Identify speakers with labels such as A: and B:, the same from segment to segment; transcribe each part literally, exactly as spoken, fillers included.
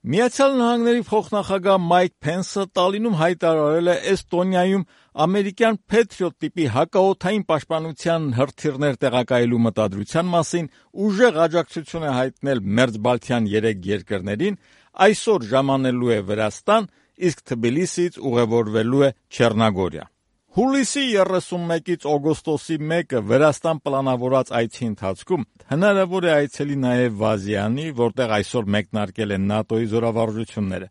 A: Միացյալ Նահանգների փոխնախագահ Մայք Փենսը Տալինում հայտարարել է Էստոնիայում ամերիկյան Patriot տիպի հակաօդային պաշտպանության հրթիռներ տեղակայելու մտադրության մասին ուժեղ աջակցություն է հայտնել մերձբալթյան երեք երկրներին, այսօր ժամանելու է Վրաստան, իսկ Թբիլիսիից ուղևորվելու է Չեռնագորիա։ Հուլիսի երեսունմեկից օգոստոսի մեկը Վրաստան պլանավորած այցի ընթացքում հնարավոր է այցելի նաև Վազյանի, որտեղ այսօր մեկնարկել են ՆԱՏՕ-ի զորավարժությունները։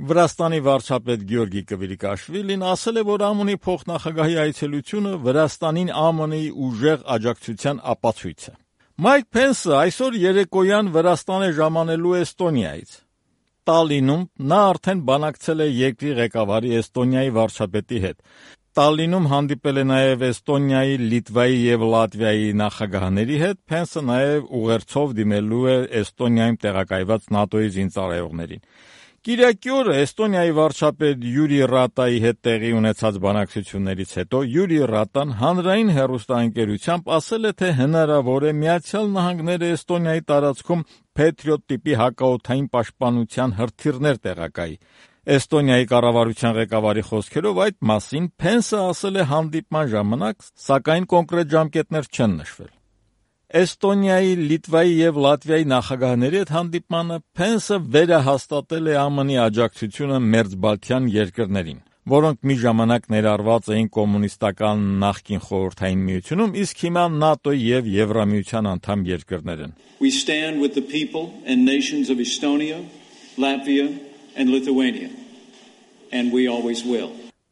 A: Վրաստանի վարչապետ Գյորգի Կվիրիկաշվիլին ասել է, որ ԱՄՆ-ի փոխնախագահի այցելությունը Վրաստանին ԱՄՆ-ի ուժեղ աջակցության ապացույց է։ Մայք Փենսը այսօր երեկոյան Վրաստան է ժամանելու Էստոնիայից։ Տալինում նա արդեն բանակցել է երկրի ղեկավարի Էստոնիայի վարչապետի հետ։ Տալինում հանդիպել է նաև Էստոնիայի, Լիտվայի և Լատվիայի նախագահների հետ, Փենսը նաև ուղերձով դիմելու է Էստոնիայում տեղակայված ՆԱՏՕ-ի զինծառայողներին։ Կիրակի օրը Էստոնիայի վարչապետ Յուրի Ռատայի հետ տեղի ունեցած բանակցություններից հետո Յուրի Ռատան հանրային հեռուստաընկերությամբ ասել է, թե հնարավոր է Միացյալ Նահանգները Էստոնիայի տարածքում Patriot տիպի հակաօդային պաշտպանության հրթիռներ տեղակայի։ Էստոնիայի կառավարության ղեկավարի խոսքերով այդ մասին Փենսը ասել է հանդիպման ժամանակ, սակայն կոնկրետ ժամկետներ չեն նշվել։ Էստոնիայի, Լիտվայի և Լատվիայի նախագահների հետ հանդիպմանը Փենսը վերահաստատել է ԱՄՆ-ի աջակցությունը մերձբալթյան երկրներին, որոնք մի ժամանակ ներառված էին կոմունիստական նախկին Խորհրդային Միությունում, իսկ հիմա ՆԱՏՕ-ի և Եվրամիության անդամ երկրներ են։
B: We stand with the people and nations of Estonia, Latvia and Lithuania, and we always will.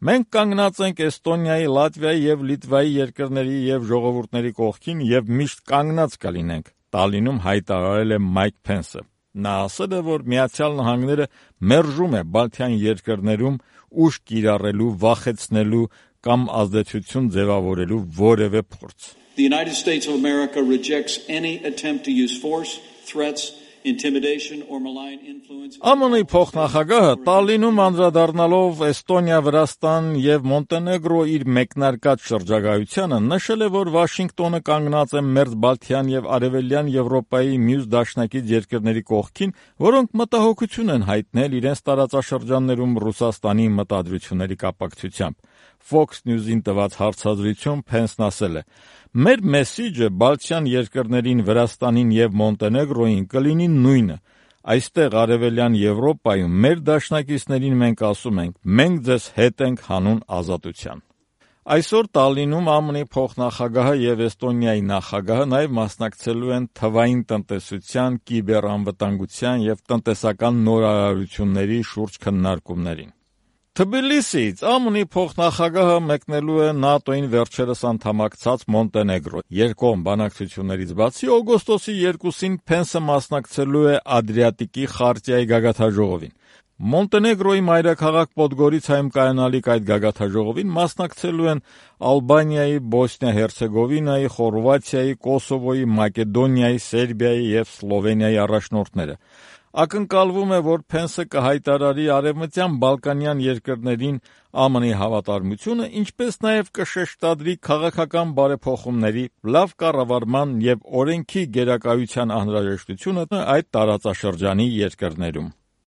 A: Մենք կանգնած ենք Էստոնիայի, Լատվիայի և Լիտվայի երկրների և ժողովուրդների կողքին և միշտ կանգնած կլինենք, Տալինում հայտարարել է Մայք Փենսը։ Նա ասել է, որ Միացյալ Նահանգները մերժում է Բալթյան երկրներում ուժ կիրառելու, վախեցնելու կամ ազդեցություն ձևավորելու որևէ փորձ։
B: The United States of America rejects any attempt to use force, threats, intimidation or malign influence.
A: ԱՄՆ-ի փոխնախագահը Տալինում անդրադառնալով Էստոնիա, Վրաստան և Մոնտենեգրո իր մեկնարկած շրջագայությանը նշել է, որ Վաշինգտոնը կանգնած է մերձբալթյան և արևելյան Եվրոպայի մյուս դաշնակից երկրների կողքին, որոնք մտահոգություն են հայտնել իրենց տարածաշրջաններում Ռուսաստանի մտադրությունների կապակցությամբ։ Fox News-ին տված հարցազրույցում Փենսն ասել է. «Մեր մեսիջը բալթյան երկրներին, Վրաստանին և Մոնտենեգրոյին կլինի նույնը։ Այստեղ արևելյան Եվրոպայում մեր դաշնակիցներին մենք ասում ենք. մենք ձեզ հետ ենք հանուն ազատության»։ Այսօր Տալինում ԱՄՆ-ի փոխնախագահը և Էստոնիայի նախագահը նաև մասնակցելու են թվային տնտեսության, կիբեռանվտանգության և տնտեսական նորարարությունների շուրջ քննարկումներին։ Թբիլիսիից ԱՄՆ-ի փոխնախագահը մեկնելու է ՆԱՏՕ-ին վերջերս անդամակցած Մոնտենեգրո։ Երկկողմ բանակցություններից բացի օգոստոսի երկուսին Փենսը մասնակցելու է Ադրիատիկի խարտիայի գագաթնաժողովին։ Մոնտենեգրոյի մայրաքաղաք Պոդգորիցայում կայանալիք այդ գագաթնաժողովին մասնակցելու են Ալբանիայի, Բոսնիա-Հերցեգովինայի, Խորվաթիայի, Կոսովոյի, Մակեդոնիայի, Սերբիայի և Սլովենիայի առաջնորդները։ Ակնկալվում է, որ Փենսը կհայտարարի Արևմտյան Բալկանյան երկրներին ԱՄՆ-ի հավատարմությունը, ինչպես նաև կշեշտադրի քաղաքական բարեփոխումների, լավ կառավարման և օրենքի գերակայության անհրաժեշտությունը այդ տարածաշրջանի երկրներում։